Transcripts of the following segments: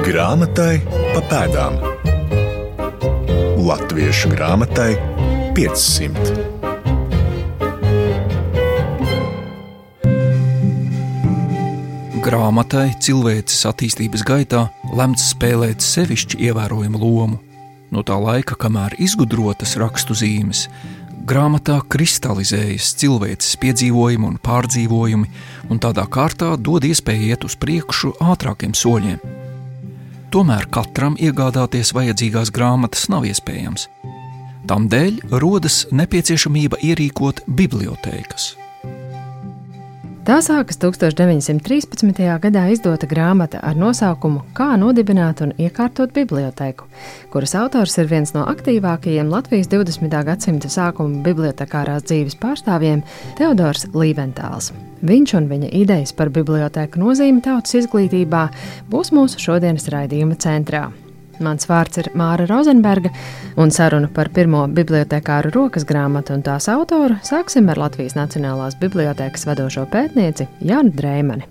Grāmatai pa pēdām. Latviešu grāmatai 500. Grāmatai cilvēces attīstības gaitā lemts spēlēt sevišķi ievērojamu lomu. No tā laika, kamēr izgudrotas rakstu zīmes, grāmatā kristalizējas cilvēces piedzīvojumi un pārdzīvojumi, un tādā kārtā dod iespēju iet uz priekšu ātrākiem soļiem. Tomēr katram iegādāties vajadzīgās grāmatas nav iespējams. Tamdēļ rodas nepieciešamība ierīkot bibliotēkas. Tā sākas 1913. gadā izdota grāmata ar nosaukumu Kā nodibināt un iekārtot bibliotēku, kuras autors ir viens no aktīvākajiem Latvijas 20. gadsimta sākuma bibliotekārās dzīves pārstāvjiem Teodors Līventāls. Viņš un viņa idejas par bibliotēku nozīmi tautas izglītībā būs mūsu šodienas raidījuma centrā. Mans vārds ir Māra Rozenberga, un sarunu par pirmo bibliotekāru rokas grāmatu un tās autoru sāksim ar Latvijas Nacionālās bibliotēkas vadošo pētnieci Jānu Dreimani.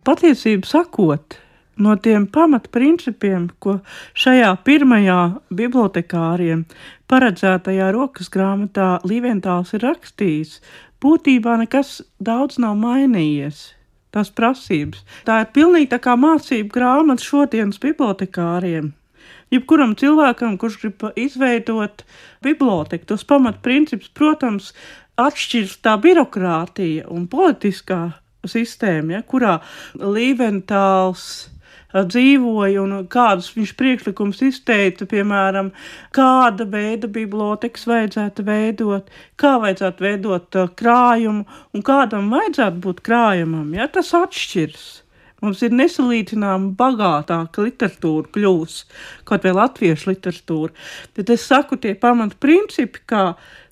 Patiesību sakot, no tiem pamatprincipiem, ko šajā pirmajā bibliotekāriem paredzētajā rokas grāmatā Līventāls ir rakstījis, būtībā nekas daudz nav mainījies. Tās prasības. Tā ir pilnīgi tā kā mācību grāmata šodienas bibliotekāriem. Jebkuram cilvēkam, kurš grib izveidot biblioteku, tos pamatprincipus, protams, atšķirs tā birokrātija un politiskā sistēma, kurā Līventāls dzīvoja un kādus viņš priekšlikums izteica, piemēram, kāda veida bibliotekas vajadzētu veidot, kā vajadzētu veidot krājumu un kādam vajadzētu būt krājumam, tas atšķirs. Mums ir nesalīdzināma bagātāka literatūra kļūs, kaut vai latviešu literatūra. Bet es saku, tie pamatprincipi, kā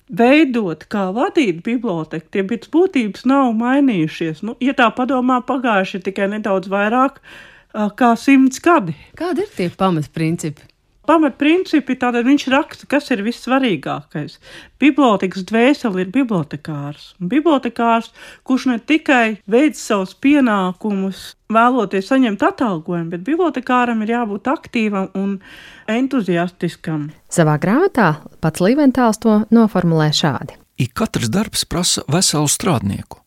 veidot, kā vadīt biblioteku, tie pēc būtības nav mainījušies. Ja tā padomā, pagājuši ir tikai nedaudz vairāk kā 100 gadi. Kādi ir tie pamatprincipi? Pamatprincipi, tātad viņš raksta, kas ir vissvarīgākais. Bibliotekas dvēseli ir bibliotekārs. Bibliotekārs, kurš ne tikai veic savus pienākumus, vēloties saņemt atalgojumu, bet bibliotekāram ir jābūt aktīvam un entuziastiskam. Savā grāmatā pats Līventāls to noformulē šādi. Ik katrs darbs prasa veselu strādnieku.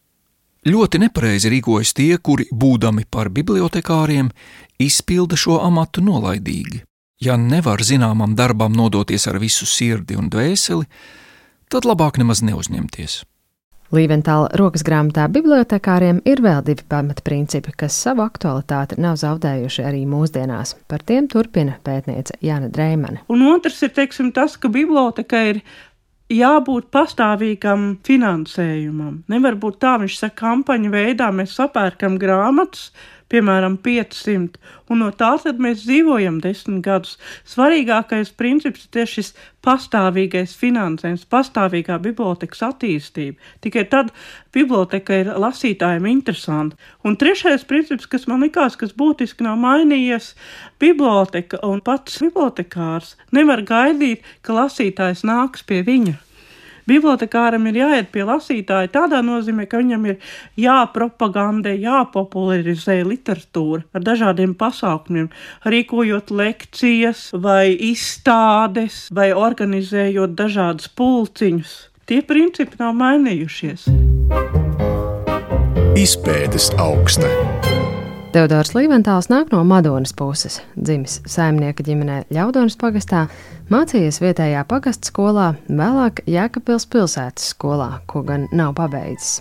Ļoti nepareizi rīkojas tie, kuri, būdami par bibliotekāriem, izpilda šo amatu nolaidīgi. Ja nevar zināmam darbam nodoties ar visu sirdi un dvēseli, tad labāk nemaz neuzņemties. Līventāla rokas grāmatā bibliotekāriem ir vēl 2 pamatprincipi, kas savu aktualitāti nav zaudējuši arī mūsdienās. Par tiem turpina pētniece Jāna Dreimane. Un otrs ir, tas, ka biblioteka ir jābūt pastāvīgam finansējumam. Nevar būt tā, viņš saka, kampaņu veidā mēs sapērkam grāmatas, piemēram, 500, un no tā tad mēs dzīvojam 10 gadus. Svarīgākais princips ir tieši šis pastāvīgais finansējums, pastāvīgā bibliotekas attīstība. Tikai tad biblioteka ir lasītājiem interesanta. Un trešais princips, kas man likās, kas būtiski nav mainījies, biblioteka un pats bibliotekārs nevar gaidīt, ka lasītājs nāks pie viņa. Bibliotekāram ir jāiet pie lasītāja tādā nozīmē, ka viņam ir jāpropagandē, jāpopularizē literatūra ar dažādiem pasākumiem, rīkojot lekcijas vai izstādes vai organizējot dažādus pulciņus. Tie principi nav mainījušies. Izpētes augsne. Teodors Līventāls nāk no Madonas puses, dzimis saimnieka ģimenē Ļaudonas pagastā, mācījies vietējā pagasta skolā, vēlāk Jēkabpils pilsētas skolā, ko gan nav pabeidzis.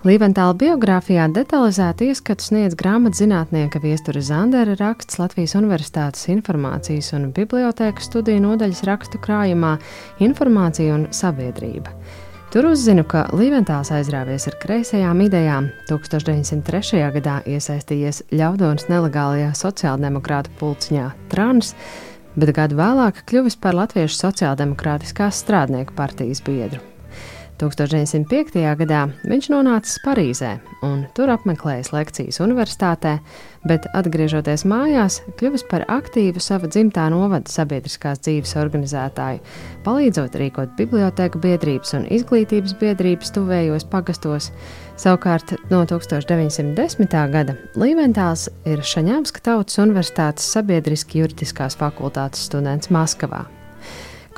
Līventāla biogrāfijā detalizēti ieskatu sniedz grāmatzinātnieka Viestura Zandera raksts Latvijas Universitātes informācijas un bibliotēku studiju nodaļas rakstu krājumā Informācija un sabiedrība. Tur uzzinu, ka Līventāls aizrāvies ar kreisajām idejām, 1903. gadā iesaistījies Ļaudonas nelegālajā sociāldemokrātu pulciņā Trans, bet gadu vēlāk kļuvis par Latviešu sociāldemokrātiskās strādnieku partijas biedru. 1905. gadā viņš nonācis Parīzē un tur apmeklējis lekcijas universitātē, bet atgriežoties mājās, kļuvis par aktīvu sava dzimtā novada sabiedriskās dzīves organizētāju, palīdzot rīkot bibliotēku biedrības un izglītības biedrības tuvējos pagastos, Savukārt no 1910. gada Līventāls ir Šaņāmska Tautas Universitātes sabiedriski juridiskās fakultātes students Maskavā.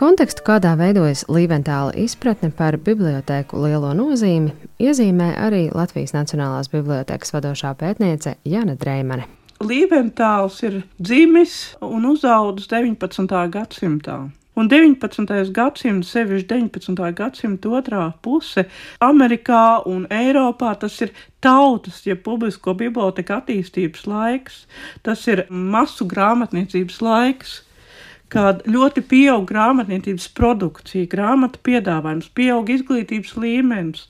Kontekstu, kādā veidojas Līventāla izpratne par bibliotēku lielo nozīmi, iezīmē arī Latvijas Nacionālās bibliotēkas vadošā pētniece Jana Dreimane. Līventāls ir dzimis un uzaudzis 19. gadsimtā. Un 19. gadsimta, sevišķi 19. gadsimta otrā puse, Amerikā un Eiropā tas ir tautas, ja publisko biblioteku attīstības laiks, tas ir masu grāmatniecības laiks, kad ļoti pieaug grāmatniecības produkcija, grāmatu piedāvājums, pieaug izglītības līmenis,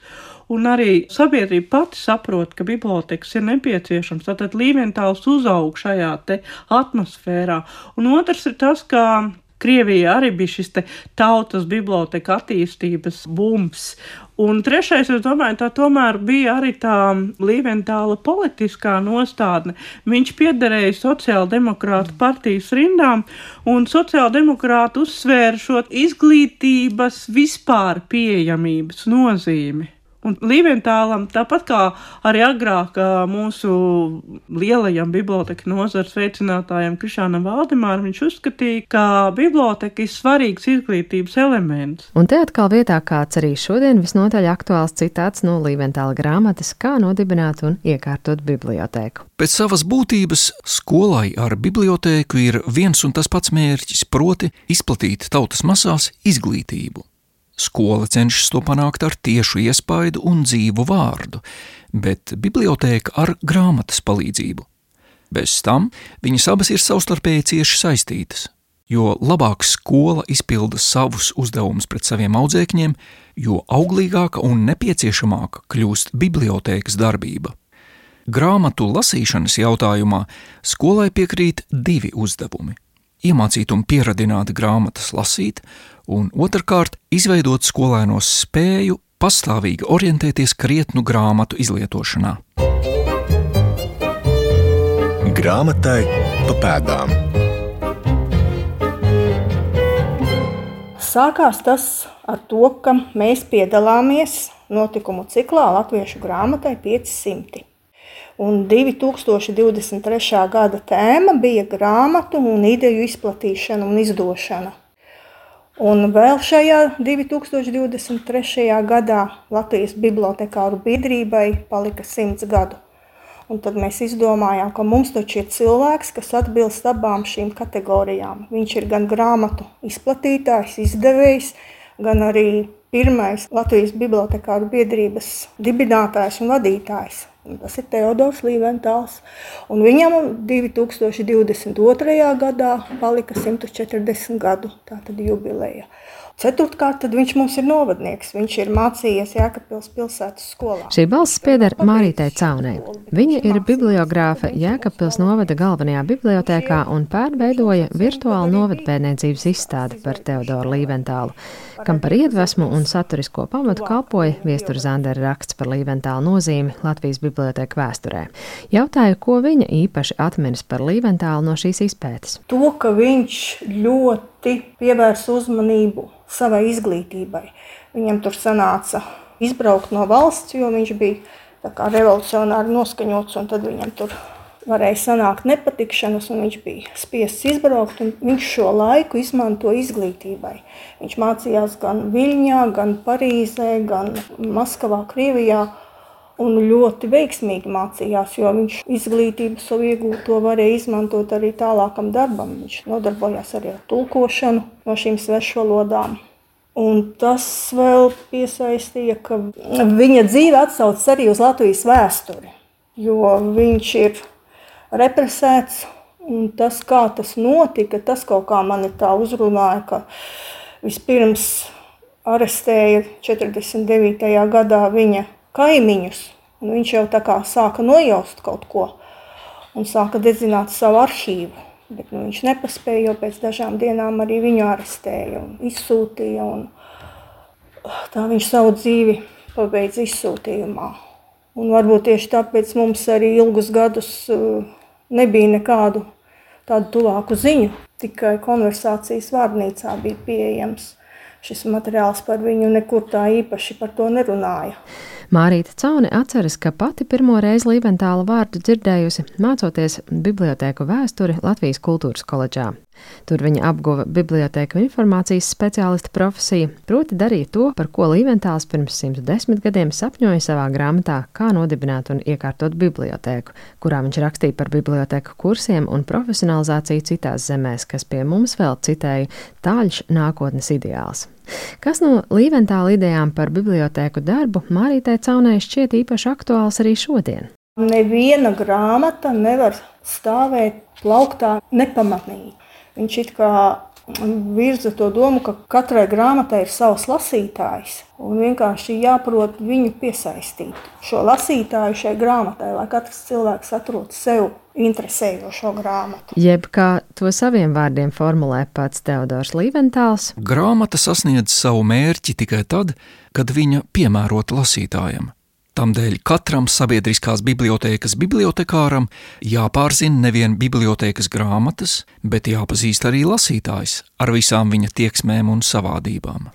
un arī sabiedrība pati saprot, ka bibliotekas ir nepieciešams. Tātad Līventāls uzaug šajā te atmosfērā. Un otrs ir tas, ka Krievijā arī bija šis te tautas biblioteka attīstības bums. Un trešais, es domāju, tā tomēr bija arī tā Līventāla politiskā nostādne. Viņš piederēja sociāldemokrātu partijas rindām, un sociāldemokrāti uzsvēra šo izglītības vispār pieejamības nozīmi. Un Līventālam, tāpat kā arī agrāk mūsu lielajam biblioteka nozares veicinātājam Krišānam Valdemāram, viņš uzskatīja, ka biblioteka ir svarīgs izglītības elements. Un te atkal vietā kāds arī šodien visnotaļ aktuāls citāts no Līventāla grāmatas Kā nodibināt un iekārtot bibliotēku. Pēc savas būtības skolai ar bibliotēku ir viens un tas pats mērķis, proti izplatīt tautas masās izglītību. Skola cenšas to panākt ar tiešu iespaidu un dzīvu vārdu, bet bibliotēka ar grāmatas palīdzību. Bez tam viņas abas ir savstarpēji cieši saistītas, jo labāk skola izpilda savus uzdevumus pret saviem audzēkņiem, jo auglīgāka un nepieciešamāka kļūst bibliotēkas darbība. Grāmatu lasīšanas jautājumā skolai piekrīt divi uzdevumi – iemācīt un pieradināt grāmatas lasīt, un otrkārt izveidot skolēnos spēju pastāvīgi orientēties krietnu grāmatu izlietošanā. Grāmatai pa pēdām. Sākās tas ar to, ka mēs piedalāmies notikumu ciklā Latviešu grāmatai 500. Un 2023. gada tēma bija grāmatu un ideju izplatīšana un izdošana. Un vēl šajā 2023. gadā Latvijas bibliotekāru biedrībai palika 100 gadu. Un tad mēs izdomājām, ka mums taču ir cilvēks, kas atbilst abām šīm kategorijām. Viņš ir gan grāmatu izplatītājs, izdevējs, gan arī pirmais Latvijas bibliotekāru biedrības dibinātājs un vadītājs. Un tas ir Teodors Līventāls. Un viņam 2022. gadā palika 140 gadu, tātad jubileja. Ceturtkārt, tad viņš mums ir novadnieks. Viņš ir mācījies Jēkabpils pilsētas skolā. Šī balss pieder Marītei Caunei. Viņa ir bibliogrāfe Jēkabpils novada galvenajā bibliotēkā un pārveidoja virtuālu novadpētniecības izstādi par Teodoru Līventālu, kam par iedvesmu un saturisko pamatu kalpoja Viestura Zandera raksts par Līventālu nozīmi Latvijas bibliotēku vēsturē. Jautāju, ko viņa īpaši atminas par Līventālu no šīs izpētes. To, ka viņš ļoti pievērsa uzmanību savai izglītībai. Viņam tur sanāca izbraukt no valsts, jo viņš bija tā kā revolucionāri noskaņots, un tad viņam tur varēja sanākt nepatikšanas, un viņš bija spiests izbraukt, un viņš šo laiku izmanto izglītībai. Viņš mācījās gan Viļņā, gan Parīzē, gan Maskavā, Krievijā, un ļoti veiksmīgi mācījās, jo viņš izglītību savu iegūto varēja izmantot arī tālākam darbam. Viņš nodarbojās arī ar tulkošanu no šīm svešvalodām. Un tas vēl piesaistīja, ka viņa dzīve atsaucas arī uz Latvijas vēsturi, jo viņš ir represēts, un tas, kā tas notika, tas kaut kā mani tā uzrunāja, ka vispirms arestēja 49. gadā viņa kaimiņus, un viņš jau tā kā sāka nojaust kaut ko un sāka dedzināt savu aršīvu, bet viņš nepaspēja, jo pēc dažām dienām arī viņu arestēja un izsūtīja, un tā viņš savu dzīvi pabeidza izsūtījumā. Un varbūt tieši tāpēc mums arī ilgus gadus nebija nekādu tādu tuvāku ziņu, tikai konversācijas vārnīcā bija pieejams šis materiāls par viņu, nekur tā īpaši par to nerunāja. Mārīte Caune atceras, ka pati pirmo reizi Līventāla vārdu dzirdējusi, mācoties bibliotēku vēsturi Latvijas kultūras koledžā. Tur viņa apguva bibliotēku informācijas speciālista profesiju, proti darīja to, par ko Līventāls pirms 110 gadiem sapņoja savā grāmatā Kā nodibināt un iekārtot bibliotēku, kurā viņš rakstīja par bibliotēku kursiem un profesionalizāciju citās zemēs, kas pie mums vēl citēja tāļš nākotnes ideāls. Kas no Līventāla idejām par bibliotēku darbu Mārītei Caunei šķiet īpaši aktuāls arī šodien? Neviena grāmata nevar stāvēt plauktā nepamanīgi. Viņš it kā virza to domu, ka katrai grāmatai ir savs lasītājs un vienkārši jāprot viņu piesaistīt. Šo lasītāju šai grāmatai, lai katrs cilvēks atrod sev interesējošo grāmatu. Jeb kā to saviem vārdiem formulē pats Teodors Līventāls. Grāmata sasniedz savu mērķi tikai tad, kad viņa piemērota lasītājam. Tamdēļ katram sabiedriskās bibliotēkas bibliotekāram jāpārzina nevien bibliotēkas grāmatas, bet jāpazīst arī lasītājs ar visām viņa tieksmēm un savādībām.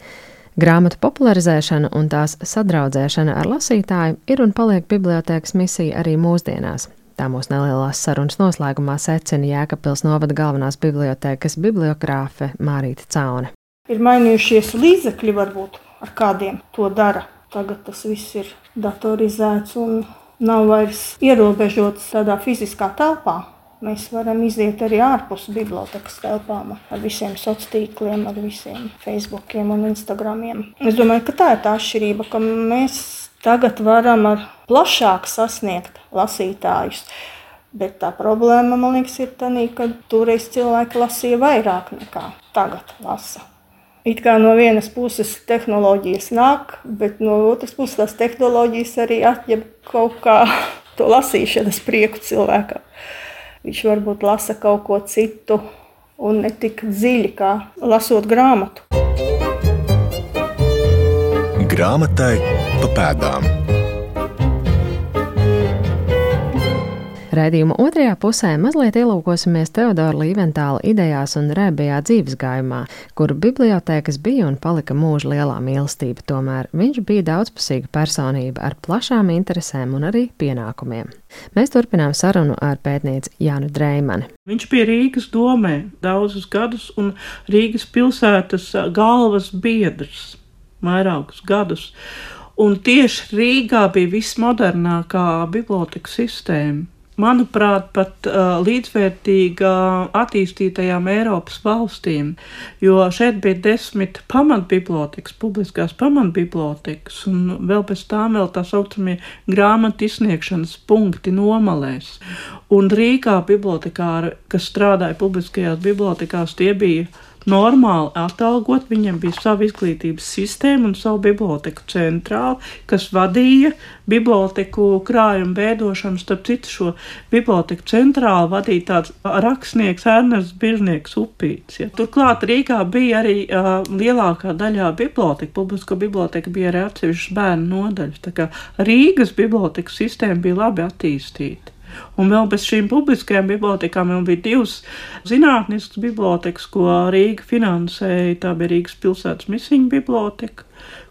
Grāmatu popularizēšana un tās sadraudzēšana ar lasītāju ir un paliek bibliotēkas misija arī mūsdienās. Tā mūsu nelielās sarunas noslēgumā secina Jēkabpils novada galvenās bibliotēkas bibliogrāfe Mārīte Caune. Ir mainījušies līdzekļi varbūt, ar kādiem to dara. Tagad tas viss ir datorizēts un nav vairs ierobežots tādā fiziskā telpā. Mēs varam iziet arī ārpus bibliotekas telpām ar visiem sociāliem tīkliem, ar visiem Facebookiem un Instagramiem. Es domāju, ka tā ir tā atšķirība, ka mēs tagad varam ar plašāk sasniegt lasītājus. Bet tā problēma, man liekas, ir tā, ka toreiz cilvēki lasīja vairāk nekā tagad lasa. It kā no vienas puses tehnoloģijas nāk, bet no otras puses tās tehnoloģijas arī atņem kaut kā to lasīšanas prieku cilvēkam. Viņš varbūt lasa kaut ko citu un ne tik dziļi, kā lasot grāmatu. Grāmatai pa pēdām. Raidījuma otrajā pusē mazliet ielūkosimies Teodora Līventāla idejās un rēbējā dzīvesgājumā, kuru bibliotēkas bija un palika mūža lielā mīlestība, tomēr viņš bija daudzpusīga personība ar plašām interesēm un arī pienākumiem. Mēs turpinām sarunu ar pētnieci Jānu Dreimani. Viņš bija Rīgas domē daudzus gadus un Rīgas pilsētas galvas biedrs vairākus gadus. Un tieši Rīgā bija vismodernākā biblioteka sistēma. Manuprāt, pat līdzvērtīga attīstītajām Eiropas valstīm, jo šeit bija 10 pamatbibliotekas, publiskās pamatbibliotekas, un vēl pēc tām vēl tā saucamie grāmatu izsniegšanas punkti nomalēs. Un Rīgā bibliotekāri, kas strādāja publiskajās bibliotekās, tie bija normāli atalgot, viņiem bija sava izglītības sistēma un savu biblioteku centrāli, kas vadīja biblioteku krājumu veidošanu. Starp citu, šo biblioteku centrāli vadīja tāds rakstnieks Ernests Biržnieks Upīts. Ja. Turklāt Rīgā bija arī lielākā daļā biblioteka, publisko biblioteka bija arī atsevišķas bērnu nodaļas. Tā kā Rīgas biblioteku sistēma bija labi attīstīta. Un vēl bez šīm publiskajām bibliotekām vēl bija 2 zinātniskas bibliotekas, ko Rīga finansēja. Tā bija Rīgas pilsētas Misiņu biblioteka.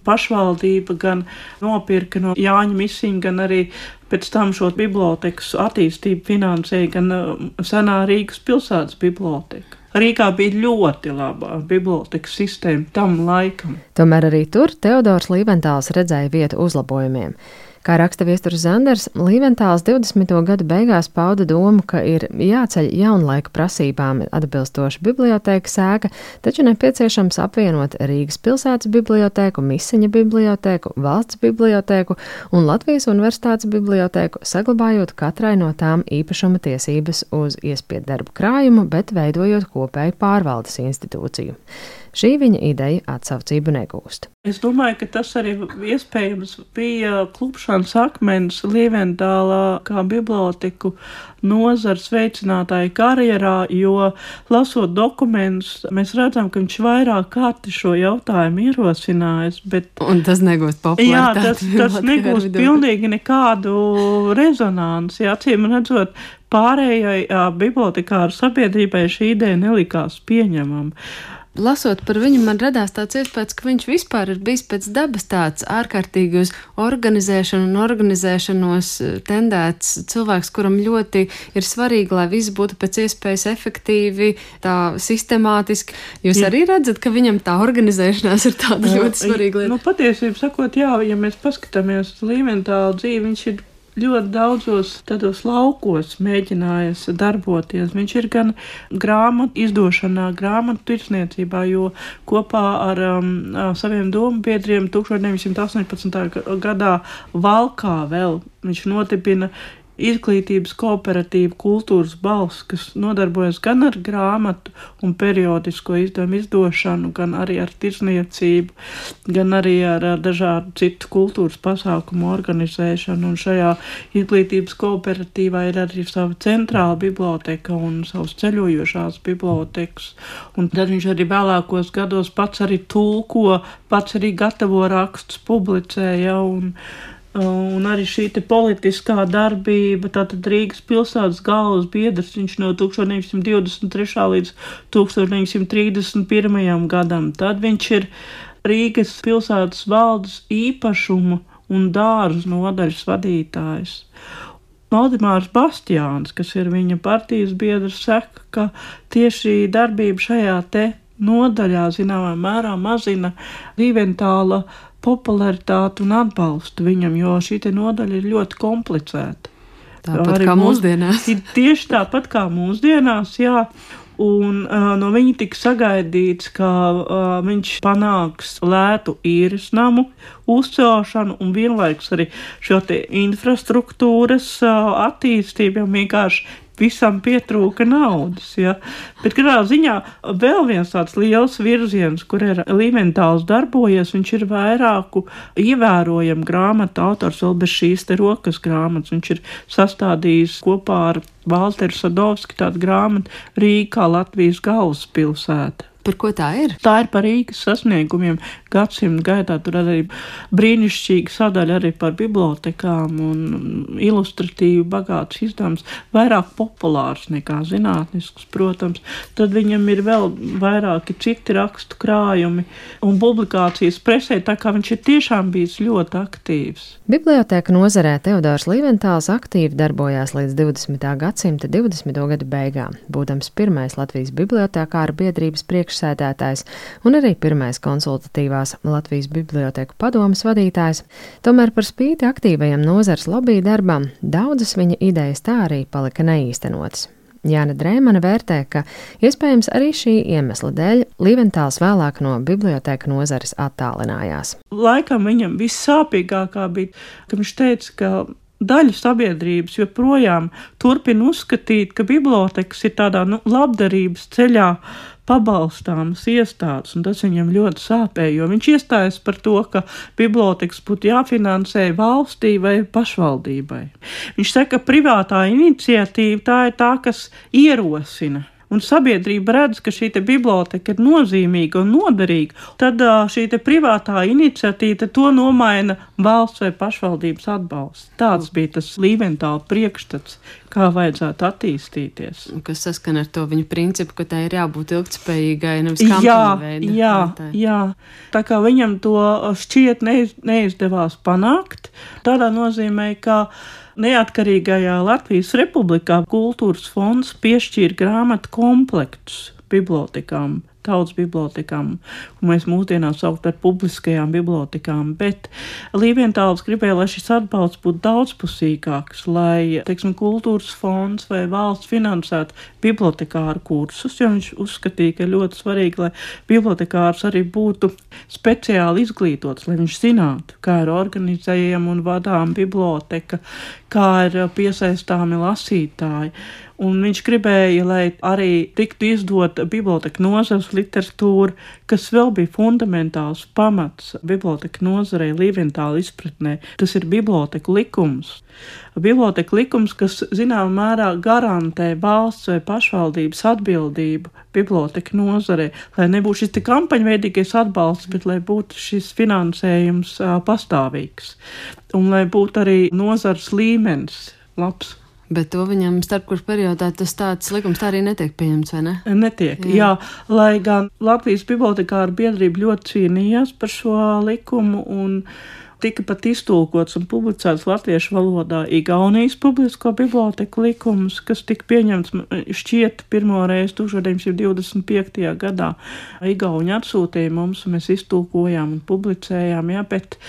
Pašvaldība gan nopirka no Jāņa Misiņa, gan arī pēc tam šo bibliotekas attīstību finansēja gan senā Rīgas pilsētas biblioteka. Rīgā bija ļoti laba bibliotekas sistēma tam laikam. Tomēr arī tur Teodors Līventāls redzēja vietu uzlabojumiem. Kā raksta Viesturs Zanders, Līventāls 20. gadu beigās pauda domu, ka ir jāceļ jaunlaika prasībām atbilstoša bibliotēkas ēka, taču nepieciešams apvienot Rīgas pilsētas bibliotēku, Misiņa bibliotēku, valsts bibliotēku un Latvijas universitātes bibliotēku, saglabājot katrai no tām īpašuma tiesības uz iespiedarbu krājumu, bet veidojot kopēju pārvaldes institūciju. Šī viņa ideja atsaucību negūst. Es domāju, ka tas arī iespējams bija klupšanas akmens Līventāla kā biblioteku nozars veicinātāja karjerā, jo lasot dokumentus, mēs redzam, ka viņš vairāk kārti šo jautājumu ierosinājis, bet... Un tas negūst popularitāti. Jā, tas negūst pilnīgi nekādu rezonanci. Acīm redzot, pārējai bibliotekāru sabiedrībai šī ideja nelikās pieņemama. Lasot par viņu, man radās tāds iespējas, ka viņš vispār ir bijis pēc dabas tāds ārkārtīgi uz organizēšanu un organizēšanos tendēts cilvēks, kuram ļoti ir svarīgi, lai viss būtu pēc iespējas efektīvi, tā sistemātiski. Jūs arī redzat, ka viņam tā organizēšanās ir tāda ļoti svarīga lieta? Patiesībā sakot, jā, ja mēs paskatāmies uz Līventālu dzīvi, viņš ir ļoti daudzos tādos laukos mēģinājis darboties. Viņš ir gan grāmatu izdošanā, grāmatu tirsniecībā, jo kopā ar saviem domu biedriem 1918. gadā Valkā vēl viņš nodibina Izglītības kooperatīva Kultūras balss, kas nodarbojas gan ar grāmatu un periodisko izdevumu izdošanu, gan arī ar tirsniecību, gan arī ar dažādu citu kultūras pasākumu organizēšanu. Un šajā izglītības kooperatīvā ir arī sava centrāla biblioteka un savas ceļojošās bibliotekas. Un tad viņš arī vēlākos gados pats arī tulko, pats arī gatavo rakstus, publicēja un arī šī te politiskā darbība, tātad Rīgas pilsētas galvas biedrs, viņš no 1923. līdz 1931. gadam. Tad viņš ir Rīgas pilsētas valdes īpašuma un dārzu nodaļas vadītājs. Valdemārs Bastiāns, kas ir viņa partijas biedrs, saka, ka tieši darbība šajā te nodaļā zināmā mērā mazina Līventāla popularitāti un atbalstu viņam, jo šī te nodaļa ir ļoti komplicēta. Tāpat kā mūsdienās. Tieši tāpat kā mūsdienās, jā. Un no viņa tika sagaidīts, ka viņš panāks lētu īres namu uzcelšanu un vienlaikus arī šo te infrastruktūras attīstību, jo vienkārši visam pietrūka naudas. Ja? Bet katrā ziņā vēl viens tāds liels virziens, kur ir Līventāls darbojies, viņš ir vairāku ievērojamu grāmatu autors vēl bez šīs te rokas grāmatas. Viņš ir sastādījis kopā ar Valteru Sadovski tādu grāmatu Rīga kā Latvijas galvaspilsēta. Par ko tā ir? Tā ir par Rīgas sasniegumiem gadsimta gaitā. Tur arī brīnišķīga sadaļa arī par bibliotekām un ilustratīvi bagāts izdevums, vairāk populārs nekā zinātnisks, protams. Tad viņam ir vēl vairāki citi rakstu krājumi un publikācijas presē, tā kā viņš ir tiešām bijis ļoti aktīvs. Biblioteka nozarē Teodors Līventāls aktīvi darbojās līdz 20. gadsimta 20. gadu beigām, būdams pirmais Latvijas bibliotekāru biedrības priekšsēdētājs un arī pirmais konsultatīvās Latvijas biblioteku padomes vadītājs. Tomēr par spīti aktīvajam nozars lobby darbam, daudzas viņa idejas tā arī palika neīstenotas. Jāna Drēmane vērtē, ka iespējams arī šī iemesla dēļ Līventāls vēlāk no biblioteka nozares attālinājās. Laikam viņam vissāpīgākā bija, ka viņš teica, ka daļa sabiedrības joprojām turpina uzskatīt, ka bibliotekas ir tādā labdarības ceļā pabalstāmas iestādes, un tas viņam ļoti sāpēja, jo viņš iestājas par to, ka bibliotekas būtu jāfinansē valstī vai pašvaldībai. Viņš saka, ka privātā iniciatīva tā ir tā, kas ierosina. Un sabiedrība redz, ka šī te biblioteka ir nozīmīga un noderīga, tad šī te privātā iniciatīva to nomaina valsts vai pašvaldības atbalsts. Tāds bija tas Līventāla priekšstats, kā vajadzētu attīstīties. Kas saskan ar to viņa principu, ka tā ir jābūt ilgtspējīgai, nevis kampaņa veida. Jā. Tā kā viņam to šķiet neizdevās panākt, tādā nozīmē, ka neatkarīgajā Latvijas Republikā kultūras fonds piešķīra grāmatu komplektus bibliotekām, tautas bibliotekām, un mēs mūsdienās saukt par publiskajām bibliotekām, bet Līventāls gribēja, lai šis atbalsts būtu daudzpusīgāks, lai, teiksim, kultūras fonds vai valsts finansētu bibliotekāru kursus, jo viņš uzskatīja, ka ļoti svarīgi, lai bibliotekārs arī būtu speciāli izglītots, lai viņš zinātu, kā ir organizējama un vadām biblioteka, kā ir piesaistāmi lasītāji. Un viņš gribēja, lai arī tiktu izdota biblioteka nozares literatūra, kas vēl bija fundamentāls pamats biblioteka nozarei Līventāla izpratnē. Tas ir biblioteka likums. Biblioteka likums, kas zināmā mērā garantē valsts vai pašvaldības atbildību biblioteka nozarei, lai nebūtu šis kampaņveidīgais atbalsts, bet lai būtu šis finansējums pastāvīgs. Un lai būtu arī nozars līmenis labs. Bet to viņam starpkurs periodā tas tāds likums tā arī netiek pieņemts, vai ne? Netiek, jā. Lai gan Latvijas bibliotekāru biedrība ļoti cīnījās par šo likumu un tika pat iztulkots un publicēts latviešu valodā Igaunijas publisko biblioteku likums, kas tika pieņemts šķiet pirmoreiz 1925. gadā. Igauņi atsūtīja mums, un mēs iztulkojām un publicējām, jā, bet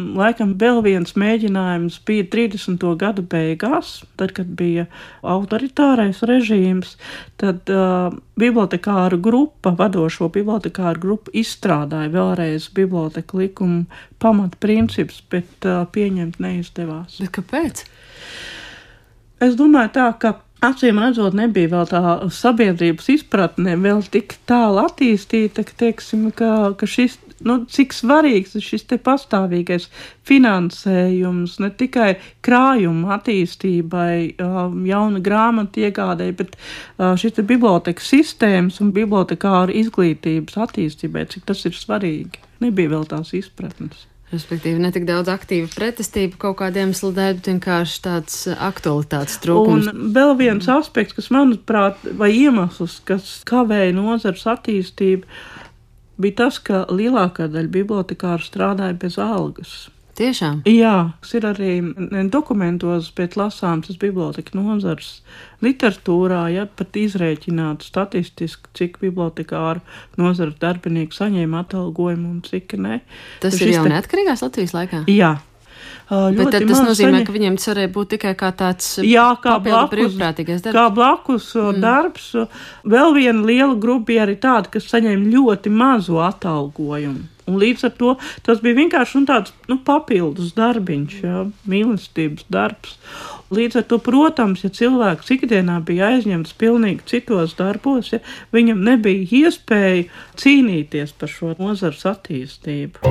laikam vēl viens mēģinājums bija 30. gadu beigās, tad, kad bija autoritārais režīms, tad bibliotekāru grupa, vadošo bibliotekāru grupa izstrādāja vēlreiz biblioteku likumu pamatprincips, bet pieņemt neizdevās. Bet kāpēc? Es domāju tā, ka acīm redzot nebija vēl tā sabiedrības izpratne vēl tik tālu attīstīta, ka, teiksim, ka šis, cik svarīgs ir šis te pastāvīgais finansējums, ne tikai krājuma attīstībai, jauna grāmatu iegādēji, bet šis te bibliotekas sistēmas un bibliotekāru izglītības attīstībai, cik tas ir svarīgi. Nebija vēl tās izpratnes. Respektīvi, ne tik daudz aktīva pretestība kaut kādiem iemeslu dēļ, bet vienkārši tāds aktualitātes trūkums. Un vēl viens aspekts, kas manuprāt, vai iemesls, kas kavēja nozares attīstību, bija tas, ka lielākā daļa bibliotekāru strādāja bez algas. Tiešām? Jā, tas ir arī dokumentos, bet lasāms tas biblioteka nozares literatūrā, ja pat izrēķināt statistiski, cik bibliotekāru nozares darbinieki saņēma atalgojumu un cik ne. Tas ir jau neatkarīgās Latvijas laikā? Jā. Bet tad tas nozīmē, ka viņiem tas varēja būt tikai kā tāds papildu brīvprātīgais darbs. Kā blakus darbs. Vēl viena liela grupa bija arī tāda, kas saņēma ļoti mazu atalgojumu. Un līdz ar to tas bija vienkārši tāds papildus darbiņš, mīlestības darbs. Līdz ar to, protams, ja cilvēks ikdienā bija aizņemts pilnīgi citos darbos, viņam nebija iespēja cīnīties par šo nozares attīstību.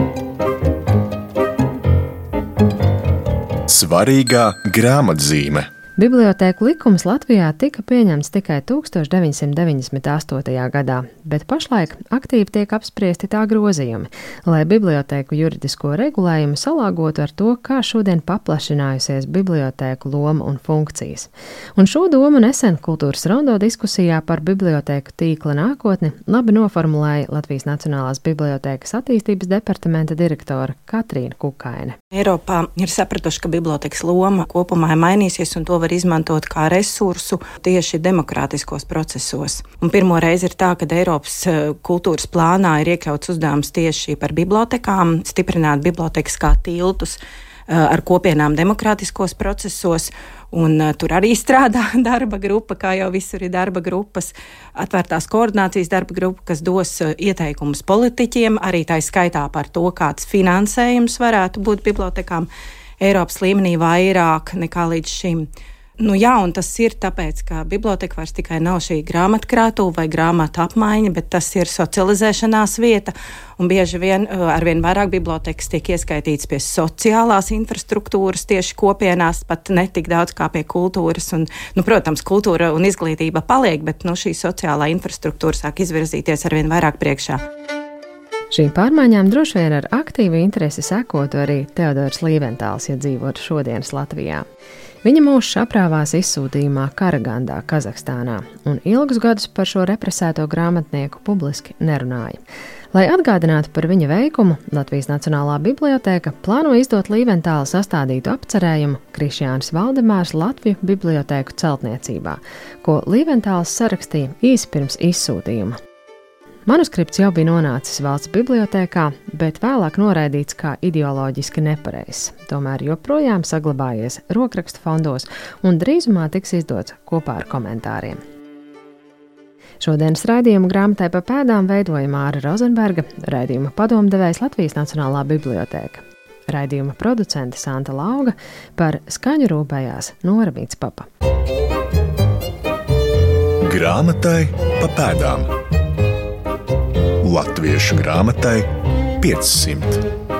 Svarīgā grāmatzīme. Bibliotēku likums Latvijā tika pieņemts tikai 1998. gadā, bet pašlaik aktīvi tiek apspriesti tā grozījumi, lai bibliotēku juridisko regulējumu salāgotu ar to, kā šodien paplašinājusies bibliotēku loma un funkcijas. Un šo domu nesen Kultūras rondo diskusijā par bibliotēku tīkla nākotni labi noformulēja Latvijas Nacionālās bibliotēkas attīstības departamenta direktore Katrīna Kukaine. Eiropā ir sapratuši, ka bibliotēkas loma kopumā ir mainīsies un to var izmantot kā resursu tieši demokrātiskos procesos. Un pirmo reizi ir tā, ka Eiropas kultūras plānā ir iekļauts uzdevums tieši par bibliotekām, stiprināt bibliotekas kā tiltus ar kopienām demokrātiskos procesos. Un tur arī strādā darba grupa, kā jau visur ir darba grupas, atvērtās koordinācijas darba grupa, kas dos ieteikumus politiķiem, arī tā skaitā par to, kāds finansējums varētu būt bibliotekām Eiropas līmenī vairāk nekā līdz šim. Un tas ir tāpēc, ka biblioteka vairs tikai nav šī grāmatkrātuve vai grāmatu apmaiņa, bet tas ir socializēšanās vieta, un bieži vien arvien vairāk bibliotekas tiek ieskaitīts pie sociālās infrastruktūras tieši kopienās, pat ne tik daudz kā pie kultūras, un, protams, kultūra un izglītība paliek, bet šī sociālā infrastruktūra sāk izvirzīties arvien vairāk priekšā. Šīm pārmaiņām droši vien ar aktīvu interesi sekotu arī Teodors Līventāls, ja dzīvotu šodienas Latvijā. Viņa mūžs aprāvās izsūtījumā Karagandā, Kazahstānā, un ilgus gadus par šo represēto grāmatnieku publiski nerunāja. Lai atgādinātu par viņa veikumu, Latvijas Nacionālā bibliotēka plāno izdot Līventāla sastādītu apcerējumu Krišjānis Valdemārs Latviju bibliotēku celtniecībā, ko Līventāls sarakstīja īsi pirms izsūtījuma. Manuskripts jau bija nonācis valsts bibliotēkā, bet vēlāk noraidīts kā ideoloģiski nepareizs. Tomēr joprojām saglabājies rokrakstu fondos un drīzumā tiks izdots kopā ar komentāriem. Šodienas raidījumu grāmatai pa pēdām veidoja Māra Rozenberga, raidījuma padomdevējs Latvijas Nacionālā bibliotēka. Raidījuma producente Santa Lauga, par skaņu rūpējās Nora Mītspapa. Grāmatai pa pēdām. Latviešu grāmatai 500.